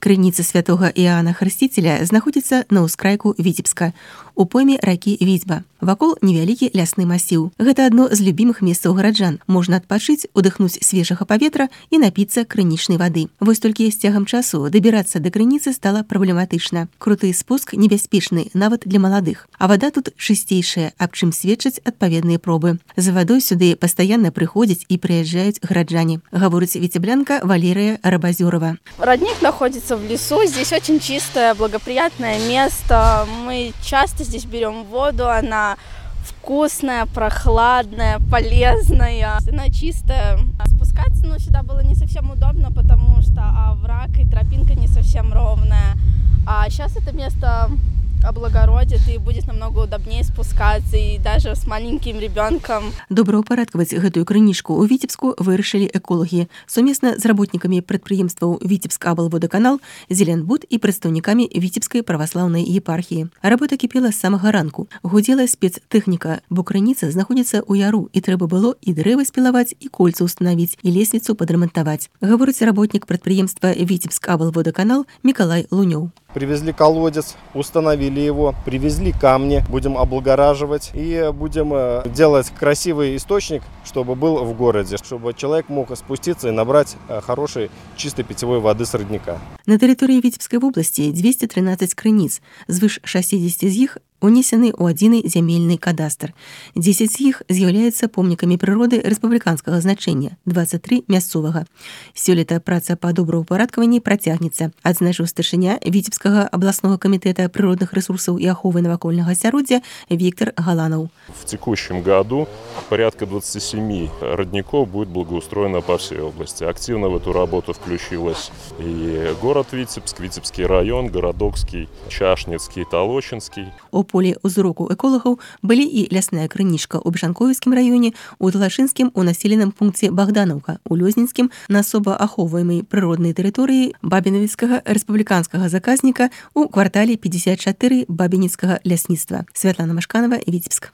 Крыніца святога Іоанна Хрысціцеля знаходзіцца на ўскрайку Віцебска, у пойме ракі Віцьба. Вакол невялікі лясны масіў. Гэта адно з любімых месцаў гараджан. Можна адпачыць, удыхнуць свежага паветра і напіцца крынічнай вады. Вось толькі з цягам часу дабірацца да крыніцы стала праблематычна. Круты спуск небяспечны нават для маладых. А вада тут чысцейшая, аб чым сведчаць адпаведныя пробы. За вадой сюды пастаянна прыходзяць і прыязджаюць гараджане. Гаворыць віцеблянка Валерия Рабазёрова. Родник находится в лесу, здесь очень чистое, благоприятное место. Мы часто здесь берем воду, она вкусная, прохладная, полезная, она чистая. Спускаться сюда было не совсем удобно, потому что овраг и тропинка не совсем ровная. А сейчас это место облагородит и будет намного удобнее спускаться, и даже с маленьким ребенком. Добраўпарадкаваць гэтую крынічку ў Віцебску вырашылі эколагі сумесна з работнікамі прадпрыемстваў Віцебскаблводаканал, Зеленбуд і прадстаўнікамі Віцебскай праваслаўнай епархіі. Работа кіпела з самага ранку. Гудзела спецтэхніка, бо крыніца знаходзіцца ў яру, і трэба было і дрэвы спілаваць, і кольца ўстанавіць, і лесвіцу падрамантаваць. Гаворыць работнік прадпрыемства Віцебскаблводаканал Миколай Лунёў. Привезли колодец, установили его, привезли камни, будем облагораживать и будем делать красивый источник, чтобы был в городе, чтобы человек мог спуститься и набрать хорошей чистой питьевой воды с родника. На тэрыторыі Віцебскай вобласці 213 крыніц, звыш 60 з іх унесены ў адзіны зямельны кадастр. 10 з іх з'яўляюцца помнікамі прыроды рэспубліканскага значэння, 23 мясцовага. Сёлета праца па добраўпарадкаванні працягнецца, адзначыў старшыня Віцебскага абласнога камітэта прыродных рэсурсаў і аховы навакольнага асяроддзя Виктор Галанов. В текущем году порядка 27 родников будет благоустроено по всей области. Активно в эту работу включилась и город Витебск, Витебский район, Городокский, Чашницкий, Толочинский. У полі ўзроку эколагаў былі і лясная крынічка ў Бшанковіцкім раёне, у Талашынскім у населеным пункце Богдановка, у Лёзнінскім на асоба ахоўваемай прыроднай тэрыторыі Бабінавіцкага рэспубліканскага заказніка у квартале 54 Бабінецкага лясніцтва. Святлана Машканова, Витебск.